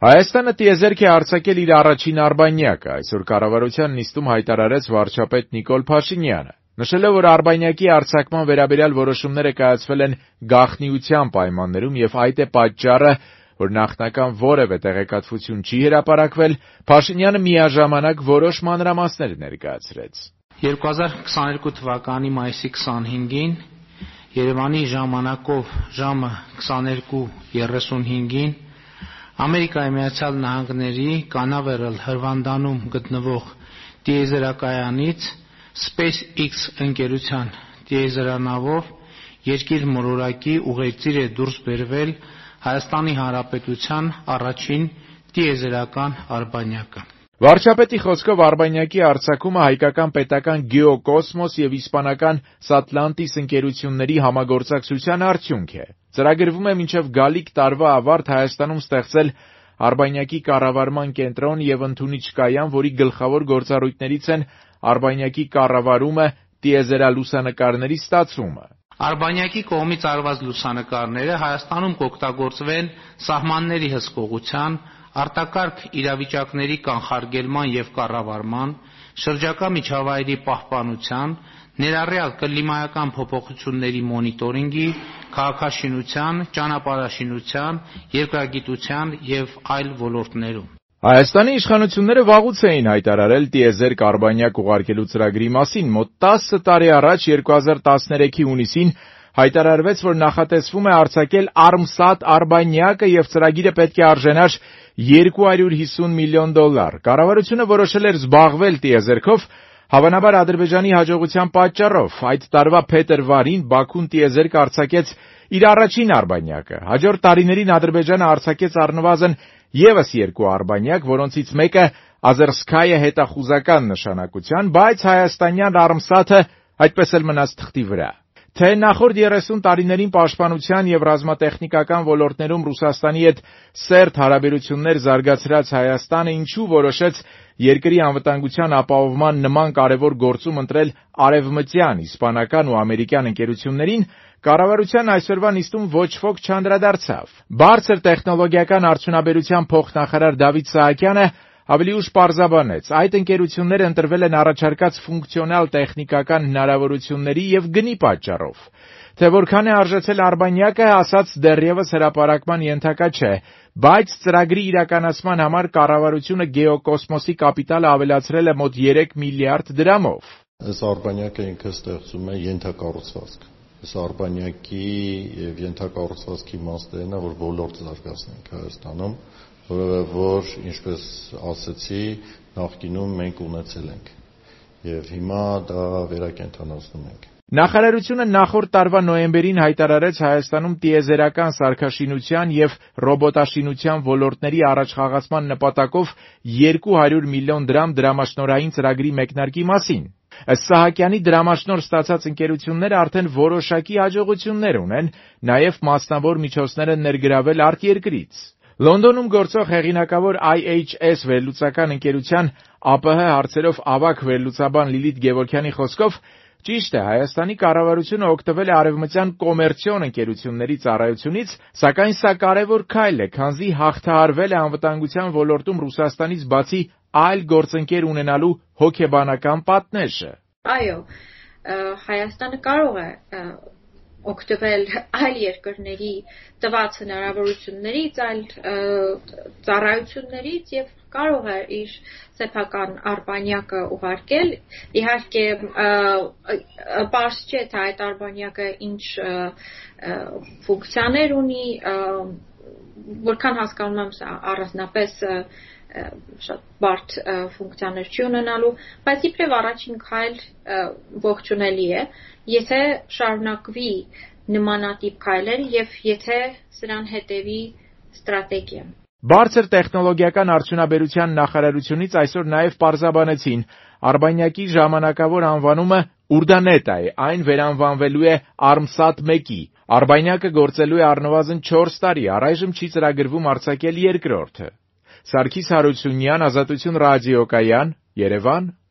Հայաստանը տիեզերք է արձակել իր առաջին արբանյակը, այսօր կառավարության նիստում հայտարարեց վարչապետ Նիկոլ Փաշինյանը, նշելով, որ արբանյակի արձակման վերաբերյալ որոշումները կայացվել են գաղտնիության պայմաններում եւ այդ է պատճառը, որ նախնական որևէ տեղեկատվություն չի հրապարակվել, Փաշինյանը միաժամանակ որոշ մանրամասներ ներկայացրեց. 2022 թվականի մայիսի 25-ին Երևանի ժամանակով ժամը 22:35-ին Ամերիկայի Միացյալ Նահանգների Կանավերալ հրվանդանում գտնվող տիեզերակայանից SpaceX ընկերության տիեզերանավով երկիր մոլորակի ուղեծիր է դուրս բերվել Հայաստանի Հանրապետության առաջին տիեզերական արբանյակը։ Վարչապետի խոսքով արբանյակի արձակումը հայկական պետական Գեոկոսմոս եւ իսպանական Սատլանտիս ընկերությունների համագործակցության արդյունք է։ Ծրագրվում է մինչև գալիք տարվա ավարտ Հայաստանում ստեղծել արբանյակի կառավարման կենտրոն եւ ընդունիչ կայան, որի գլխավոր գործառույթներից են արբանյակի կառավարումը, տիեզերալուսանկարների ստացումը։ Արբանյակի կողմից արված լուսանկարները Հայաստանում կօգտագործվեն սահմանների հսկողության, արտակարգ իրավիճակների կանխարգելման եւ կառավարման, շրջակա միջավայրի պահպանության, ներառյալ կլիմայական փոփոխությունների մոնիտորինգի, քաղաքաշինության, ճանապարհաշինության, երկրագիտության եւ այլ ոլորտներում։ Հայաստանի իշխանությունները վաղուց էին հայտարարել տիեզերք արբանյակ ուղարկելու ծրագրի մասին, մոտ 10 տարի առաջ 2013-ի հունիսին հայտարարվեց, որ նախատեսվում է արձակել ARMSAT արբանյակը եւ ծրագիրը պետք է արժանար $250 միլիոն։ Կառավարությունը որոշել էր զբաղվել տիեզերքով, հավանաբար Ադրբեջանի հաջողության պատճառով։ Այդ տարվա փետրվարին Բաքուն տիեզերք արձակեց իր առաջին արբանյակը։ Հաջորդ տարիներին Ադրբեջանը արձակեց առնվազն եւս 2 արբանյակ, որոնցից մեկը Ազերսկայա հետախուզական նշանակության, բայց հայաստանյան ARMSAT-ը այդպես էլ մնաց թղթի վրա։ Թե նախորդ 30 տարիներին պաշտպանության եւ ռազմատեխնիկական ոլորտներում Ռուսաստանի հետ սերտ հարաբերություններ զարգացրած Հայաստանը ինչու որոշեց երկրի անվտանգության ապահովման նման կարևոր գործում ընտրել արևմտյան, իսպանական ու ամերիկյան ընկերություններին, կառավարության այսօրվա նիստում ոչ ոք չանդրադարձավ։ Բարձր տեխնոլոգիական արդյունաբերության փոխնախարար Դավիթ Սահակյանը ավելի ուշ պարզաբանեց, այդ ընկերությունները ընտրվել են առաջարկած ֆունկցիոնալ տեխնիկական հնարավորությունների եւ գնի պատճառով։ Թե որքան է արժեցել արբանյակը, ասած դեռևս հրապարակման ենթակա չէ, բայց ծրագրի իրականացման համար կառավարությունը Գեոկոսմոսի կապիտալը ավելացրել է մոտ 3 միլիարդ դրամով։ Այս արբանյակը ինքը ստեղծում է ենթակառուցվածք։ Այս արբանյակի եւ ենթակառուցվածքի իմաստն է, որ ոլորտ զարգացնենք Հայաստանում, որ ինչպես ասացի, նախկինում մենք ունեցել ենք եւ հիմա դա վերակենդանացնում ենք։ Նախարարությունը նախորդ տարվա նոյեմբերին հայտարարեց Հայաստանում տիեզերական սարքաշինության եւ ռոբոտաշինության ոլորտների առաջխաղացման նպատակով 200 միլիոն դրամ դրամաշնորհային ծրագրի մեկնարկի մասին։ Ըստ Սահակյանի, դրամաշնորհ ստացած ընկերությունները արդեն որոշակի հաջողություններ ունեն, նաեւ մասնավոր միջոցներ են ներգրավել արտերկրից։ Լոնդոնում գործող հեղինակավոր IHS վերլուծական ընկերության ԱՊՀ հարցերով ավագ վերլուծաբան Լիլիթ Գևորգյանի խոսքով, ճիշտ է, Հայաստանի կառավարությունը օգտվել է արևմտյան կոմերցիոն ընկերությունների ծառայությունից, սակայն սա կարևոր քայլ է, քանզի հաղթահարվել է անվտանգության ոլորտում Ռուսաստանից բացի այլ գործընկեր ունենալու հոգեբանական պատնեշը։ Այո, Հայաստանը կարող է օգտվել այլ երկրների տված հնարավորություններից, այլ ծառայություններից եւ կարող է իր սեփական արբանյակը ուղարկել։ Իհարկե, պարզ չէ, թե այդ արբանյակը ինչ ֆունկցիաներ ունի, որքան հասկանում եմ, սա առանձնապես շատ բարդ ֆունկցիաներ չի ունենալու, բայց իբրև առաջին քայլ ողջունելի է, եթե շարունակվի նմանատիպ քայլեր եւ եթե սրան հետեւի ստրատեգիա։ Բարձր տեխնոլոգիական արդյունաբերության նախարարությունից այսօր նաեւ պարզաբանեցին, արբանյակի ժամանակավոր անվանումը Ուրդանետա է, այն վերանվանվելու է ARMSAT-1-ի։ Արբանյակը գործելու է առնվազն 4 տարի, առայժմ չի ծրագրվում արձակել երկրորդը։ Սարգիս Հարությունյան, Ազատություն ռադիոկայան, Երևան։